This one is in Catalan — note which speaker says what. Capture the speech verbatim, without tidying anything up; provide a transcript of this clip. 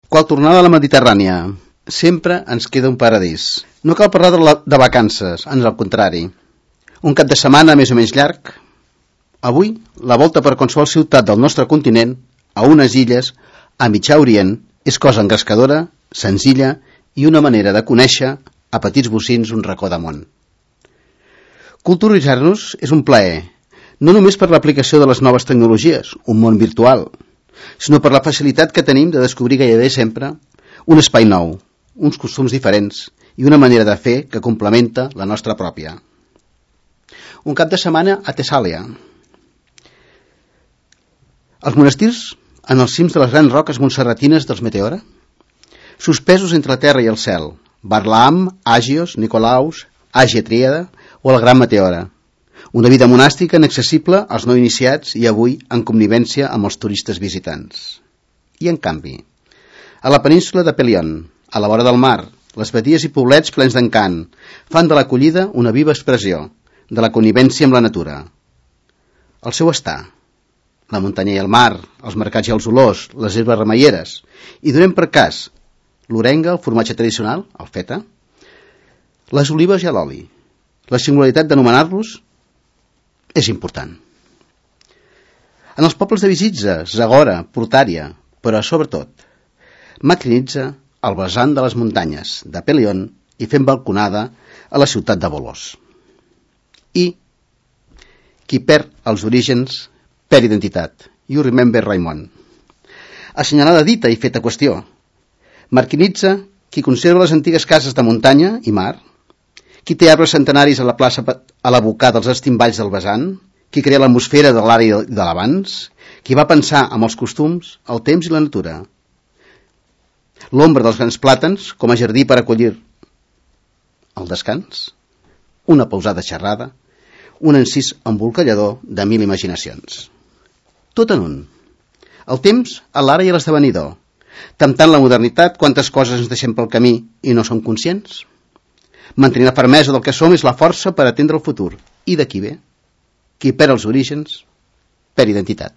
Speaker 1: Qual tornada a la Mediterrània, sempre ens queda un paradís. No cal parlar de, la, de vacances, ans al contrari. Un cap de setmana més o menys llarg. Avui, la volta per qualsevol ciutat del nostre continent, a unes illes, a Mitjà Orient, és cosa engrescadora, senzilla i una manera de conèixer a petits bocins un racó de món. Culturitzar-nos és un plaer, no només per l'aplicació de les noves tecnologies, un món virtual, sinó per la facilitat que tenim de descobrir gairebé sempre un espai nou, uns costums diferents i una manera de fer que complementa la nostra pròpia. Un cap de setmana a Tessàlia. Els monestirs en els cims de les grans roques montserratines dels Meteora, suspesos entre la terra i el cel, Barlaam, Àgios, Nicolaus, Àgia Tríada o el Gran Meteora. Una vida monàstica inaccessible als no iniciats i avui en convivència amb els turistes visitants. I en canvi, a la península de Pelion, a la vora del mar, les badies i poblets plens d'encant fan de l'acollida una viva expressió de la connivència amb la natura. El seu estar, la muntanya i el mar, els mercats i els olors, les herbes remeieres, i donem per cas l'orenga, el formatge tradicional, el feta, les olives i l'oli. La singularitat d'anomenar-los és important. En els pobles de Visitza, Zagora, Portària, però sobretot, Makrinitsa, al vessant de les muntanyes de Pelion i fent balconada a la ciutat de Volos. I qui perd els orígens perd identitat. You remember Raimon. Assenyalada dita i feta qüestió. Makrinitsa, qui conserva les antigues cases de muntanya i mar, qui té arbres centenaris a la plaça a l'abocar dels estimballs del vessant, qui crea l'atmosfera de l'àrea de l'abans, qui va pensar amb els costums, el temps i la natura. L'ombra dels grans plàtans com a jardí per acollir el descans, una pausada xerrada, un encís embolcallador de mil imaginacions. Tot en un. El temps, l'ara i l'esdevenidor. Temptant la modernitat, quantes coses ens deixem pel camí i no som conscients? Mantenir la fermesa del que som és la força per atendre el futur. I d'aquí ve? Qui perd els orígens, perd identitat.